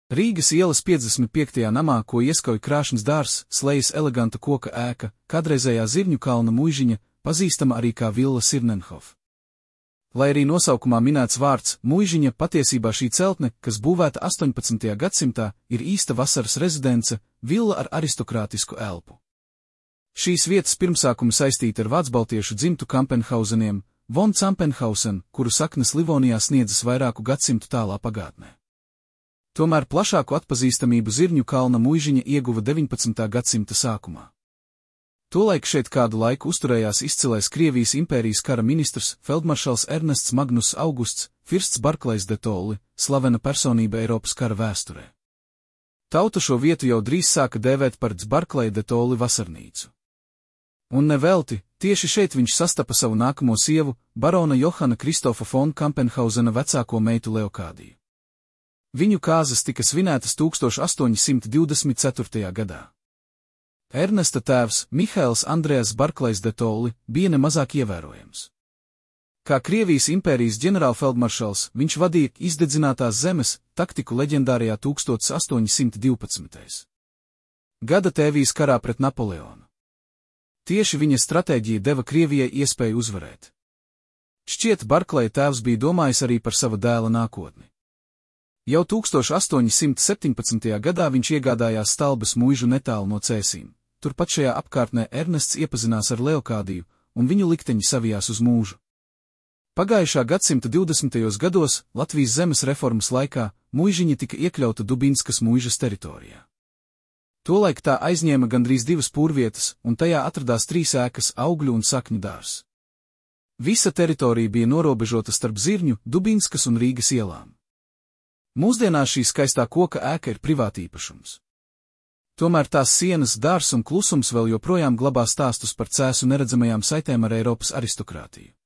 Rīgas ielas 55. namā, ko ieskauj krāšņs dārzs, slējas eleganta koka ēka, kādreizējā Zirņu kalna muižiņa, pazīstama arī kā Villa Sirnenhof. Lai arī nosaukumā minēts vārds muižiņa, patiesībā šī celtne, kas būvēta 18. gadsimtā, ir īsta vasaras rezidence, villa ar aristokrātisku elpu. Šīs vietas pirmsākumi saistīti ar vācbaltiešu dzimtu Kampenhauseniem, von Campenhausen, kuru saknes Livonijā sniedzas vairāku gadsimtu tālā pagātnē. Tomēr plašāku atpazīstamību Zirņu kalna muižiņa ieguva 19. gadsimta sākumā. Tolaik šeit kādu laiku uzturējās izcilais Krievijas impērijas kara ministrs, feldmaršals Ernests Magnus Augusts, Firsts Barklejs de Tolli, slavena personība Eiropas kara vēsturē. Tauta šo vietu jau drīz sāka dēvēt par Barkleja de Tolli vasarnīcu. Un nevelti, tieši šeit viņš sastapa savu nākamo sievu, barona Johana Kristofa von Kampenhausena vecāko meitu Leokādiju. Viņu kāzas tika svinētas 1824. gadā. Ernesta tēvs, Mihails Andrejas Barklejs de Tolli, bija nemazāk ievērojams. Kā Krievijas impērijas ģenerālfeldmaršals, viņš vadīja izdedzinātās zemes taktiku leģendārajā 1812. gada tēvijas karā pret Napoleonu. Tieši viņa stratēģija deva Krievijai iespēju uzvarēt. Šķiet, Barkleja tēvs bija domājis arī par sava dēla nākotni. Jau 1817. gadā viņš iegādājās Stalbes muižu netālu no Cēsīm. Turpat šajā apkārtnē Ernests iepazinās ar Leokādiju, un viņu likteņi savijās uz mūžu. Pagājušā gadsimta 20. gados, Latvijas zemes reformas laikā, muižiņa tika iekļauta Dubinskas muižas teritorijā. Tolaik tā aizņēma gandrīz 2 pūrvietas, un tajā atradās 3 ēkas, augļu un sakņu dārzs. Visa teritorija bija norobežota starp Zirņu, Dubinskas un Rīgas ielām. Mūsdienās šī skaistā koka ēka ir privātīpašums. Tomēr tās sienas, dārzs un klusums vēl joprojām glabā stāstus par Cēsu neredzamajām saitēm ar Eiropas aristokrātiju.